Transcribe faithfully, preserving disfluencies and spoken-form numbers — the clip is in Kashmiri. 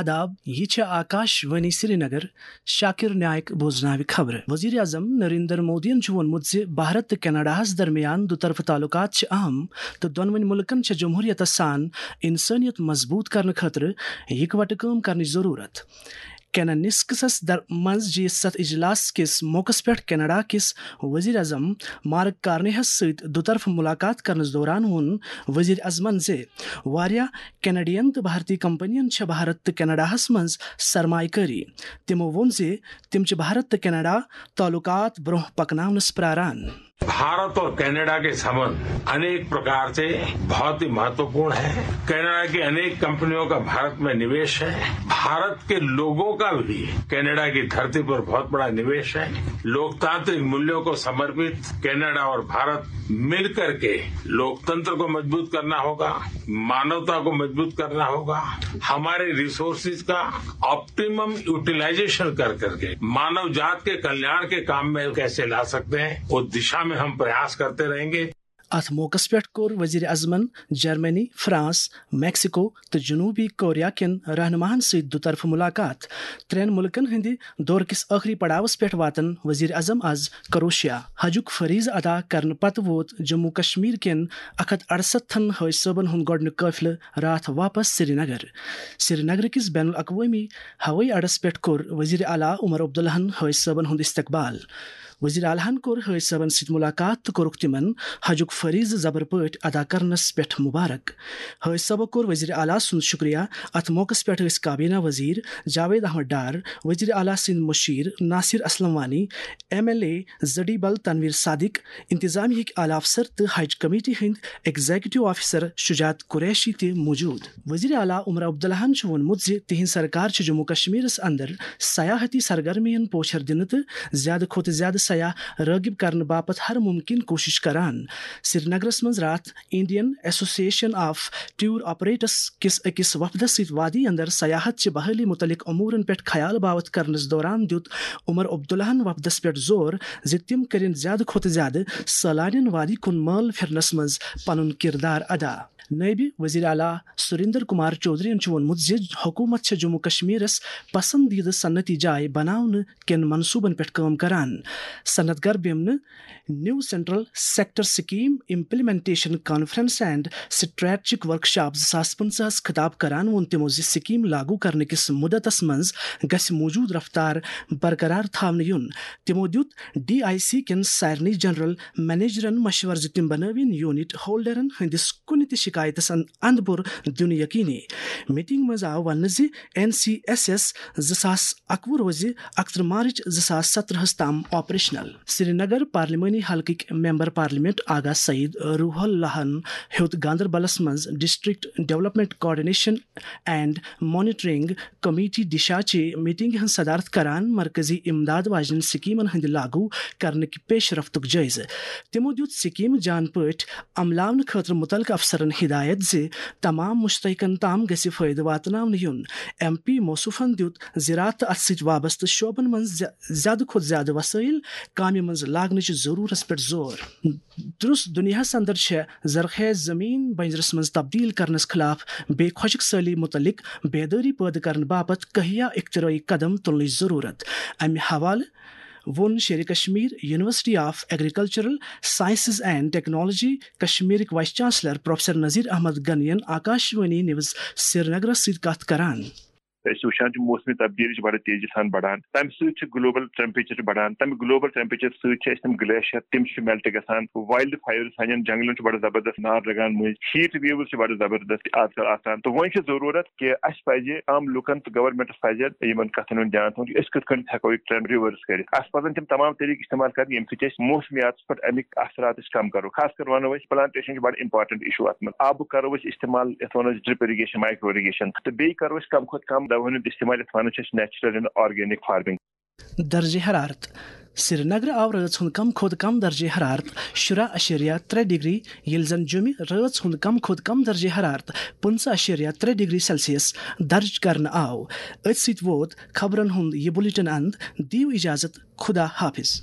آداب، یہِ چھِ آکاش وانی سرینگر۔ شاکر نائک بوزناوِ خبرٕ۔ وزیر اعظم نریندر مودیَن چھُ ووٚنمُت زِ بھارت تہٕ کینیڈاہَس درمیان دُطرفہٕ تعلقات چھِ اہم تہٕ دۄنوٕنۍ مُلکَن چھِ جمہوریتَس سان انسانیت مضبوط کرنہٕ خٲطرٕ یکوٹہٕ کٲم کرنٕچ ضروٗرت۔ کینانسکسس در-، منٛز جی ستھ اجلاس کِس موقعس پٮ۪ٹھ کینیڈا کِس وزیر اعظم مارک کارنیہَس سۭتۍ دُطرفہٕ مُلاقات کرنَس دوران ووٚن وزیر اعظمَن زِ واریاہ کینیڈین تہٕ بھارتی کمپنین چھےٚ بھارت تہٕ کینیڈاہَس منٛز سرمایہ کٲری۔ تِمو ووٚن زِ تِم چھِ بھارت تہٕ کینیڈا تعلقات برٛونٛہہ پکناونَس پراران۔ भारत और कनाडा के संबंध अनेक प्रकार से बहुत ही महत्वपूर्ण है। कनाडा की अनेक कंपनियों का भारत में निवेश है। भारत के लोगों का भी कनाडा की धरती पर बहुत बड़ा निवेश है। लोकतांत्रिक मूल्यों को समर्पित कनाडा और भारत मिलकर के लोकतंत्र को मजबूत करना होगा, मानवता को मजबूत करना होगा, हमारे रिसोर्सेज का ऑप्टिमम यूटिलाइजेशन कर करके मानव जात के कल्याण के काम में कैसे ला सकते हैं, उस दिशा में हम प्रयास करते रहेंगे। اتھ موقعس پٮ۪ٹھ کوٚر وزیر اعظمن جرمنی، فرانس، میکسیکو تہٕ جنوبی کوریا کٮ۪ن رہنماہن سۭتۍ دُطرفہٕ ملاقات۔ ترٛٮ۪ن ملکن ہٕنٛدِ دورٕ کِس ٲخری پڑاوس پٮ۪ٹھ واتن وزیر اعظم از کروشیا۔ حجُک فریضہٕ ادا کرنہٕ پتہٕ ووت جموں کشمیر کٮ۪ن اکھ ہتھ اڑسَتتھن حٲج صٲبن ہُنٛد گۄڈٕنیُک قٲفلہٕ راتھ واپس سرینگر۔ سرینگر کِس بین الاقوٲمی ہوٲیی اڈس پٮ۪ٹھ کوٚر وزیر اعلیٰ عمر عبداللہن حٲج صٲبن ہُنٛد استقبال۔ وزیر اعلیٰ ہن کوٚر حٲج صٲبن سۭتۍ ملاقات تہٕ کوٚرُکھ تِمن حجُک فریضہٕ زبر پٲٹھۍ ادا کرنس پٮ۪ٹھ مبارک۔ حٲج صٲبو کوٚر وزیر اعلیٰ سُنٛد شُکریہ۔ اتھ موقعس پٮ۪ٹھ ٲسۍ کابینہ وزیر جاوید احمد ڈار، وزیر اعلیٰ سٕنٛدۍ مُشیر Nasir Aslam Wani, M L A Zadibal Tanvir Sadiq, انتظامیہ ہٕکۍ اعلیٰ افسر تہٕ حج کمیٹی ہٕنٛدۍ ایگزیکٹو آفیسر شجاعت قریشی تہِ موجود۔ وزیر اعلیٰ عمر عبداللہن چھُ ووٚنمُت زِ تِہنٛز سرکار چھِ جموں کشمیرس اندر سیاحتی سرگرمین پوچھر دِنہٕ تہٕ زیادٕ کھۄتہٕ زیادٕ سیاح رٲغب کرنہٕ باپتھ ہر ممکن کوٗشش کران۔ سرینگرس منٛز راتھ Indian association of tour operators کِس أکِس وفدس سۭتۍ وادی اندر سیاحت چہِ بحالی متعلق امورن پٮ۪ٹھ خیال باوتھ کرنس دوران دیُت عمر عبداللہن وفدس پٮ۪ٹھ زور زِ تِم کٔرِن زیادٕ کھۄتہٕ زیادٕ سٲلانین وادی کُن مٲل پھرنس منٛز پنُن کردار ادا۔ نٲیِب وزیر اعلیٰ سریندر کمار چودھرین چھُ ووٚنمُت زِ حکوٗمت چھےٚ جموں کشمیرس پسندیدٕ صنعتی جاے بناونہٕ کٮ۪ن منصوٗبن پٮ۪ٹھ کٲم کران۔ صنعت گر بیمنہٕ new central sector scheme implementation conference and strategic workshop زٕ ساس پٕنٛژٕہس خطاب کران ووٚن تِمو زِ سکیم لاگو کرنہٕ کِس مدتس منٛز گژھِ موجود رفتار برقرار تھاونہٕ یُن۔ تِمو دیُت ڈی آئی سی کٮ۪ن سارنٕے جنرل منیجرن مشورٕ زِ تِم بنٲوِن یونٹ ہولڈرن ہٕنٛدِس کُنہِ تہِ شکایتس ان-، اندٕ پور دیُن یقینی۔ میٹنگ منٛز آو وننہٕ زِ این سی ایس ایس زٕ ساس اکوُہ روزِ اکترٕہ مارچ زٕ ساس سترٕہس تام آپریشنل۔ سرینگر پارلیمانی حلقٕکۍ ممبر پارلیمنٹ آغا سعید روح اللہن ہیوٚت گاندربلس منٛز district development coordination and monitoring committee Disha چہِ میٹنگہِ ہٕنٛز صدارت کران مرکزی امداد واجنٮ۪ن سکیمن ہٕنٛدِ لاگو کرنٕکۍ پیش رفتُک جٲیزٕ۔ تِمو دیُت سکیمہٕ جان پٲٹھۍ عملاونہٕ خٲطرٕ مُتعلقہٕ افسرن ہدایت زِ تمام مُشترکن تام گژھِ فٲیدٕ واتناونہٕ یُن۔ ایم پی موصوفن دیُت زراعت تہٕ اتھ سۭتۍ وابستہٕ شعبن منٛز زیا-، زیادٕ کھۄتہٕ زیادٕ وسٲیل کامہِ منٛز لاگنٕچ ضرورتس پٮ۪ٹھ زور۔ درس دنیاہس اندر چھےٚ زرخیز زمین بنجرس منٛز تبدیل کرنس خلاف بے خۄشک سٲلی متعلق بیدٲری پٲدٕ کرنہٕ باپتھ کہیا اختراعی قدم تُلنٕچ ضرورت۔ امہِ حوالہٕ ووٚن Sher-e Kashmir university of agricultural sciences and technology کشمیرٕکۍ vice chancellor professor Nazir Ahmad Ganie ین آکاشوانی نیوز سرینگرس سۭتۍ کتھ کران۔ أسۍ چھِ وٕچھان چھِ موسمی تبدیٖلی چھِ بَڑٕ تیزی سان بَڑان، تَمہِ سۭتۍ چھِ گلوبل ٹیمپریچر چھِ بَڑان، تَمہِ گلوبل ٹیمپریچر سۭتۍ چھِ اَسہِ تِم گلیشیر تِم چھِ میلٹ گژھان، وایلڈ فایٲرٕز سانٮ۪ن جنگلن چھُ بَڑٕ زبردست نار لگان مٔنٛزۍ، ہیٹ ویوٕز چھِ بَڑٕ زبردست آز کل آسان۔ تہٕ وۄنۍ چھِ ضروٗرت کہِ اَسہِ پَزِ عام لُکن تہٕ گورنمنٹس پَزِ یِمن کتھن ہُنٛد دیان تھاوُن کہِ أسۍ کِتھ کٔنۍ ہٮ۪کو یہِ ٹرینڈ رِوٲرٕس کٔرِتھ۔ اَسہِ پَزن تِم تمام طریٖقہٕ استعمال کرٕنۍ ییٚمہِ سۭتۍ أسۍ موسمیاتس پٮ۪ٹھ اَمِکۍ اثرات أسۍ کم کرو۔ خاص کر وَنو أسۍ پلانٹیشن چھُ بَڑٕ امپارٹنٹ ایشو اَتھ منٛز۔ آبُک کرو أسۍ استعمال یَتھ وَنو أسۍ ڈرپ اِرِگیشن، مایکرو اِرِگیشن، تہٕ بیٚیہِ کرو أسۍ کم کھۄتہٕ کم دواہن ہُنٛد استعمال یَتھ وَنان چھِ أسۍ نیچرل اینڈ آرگینک فارمنگ۔ درجہ حرارت۔ سرینگرٕ آو رٲژ ہُنٛد کم کھۄتہٕ کم درجہ حرارت شُراہ اَشیریہ ترٛےٚ ڈگری، ییٚلہِ زن جوٚمہِ رٲژ ہُنٛد کم کھۄتہٕ کم درجہ حرارت پٕنٛژٕہ اَشیریہ ترٛےٚ ڈگری سیلسیس درج کرنہٕ آو۔ أتھۍ سۭتۍ ووت خبرن ہُنٛد یہِ بُلٹن اند۔ دِیِو اجازت، خدا حافظ۔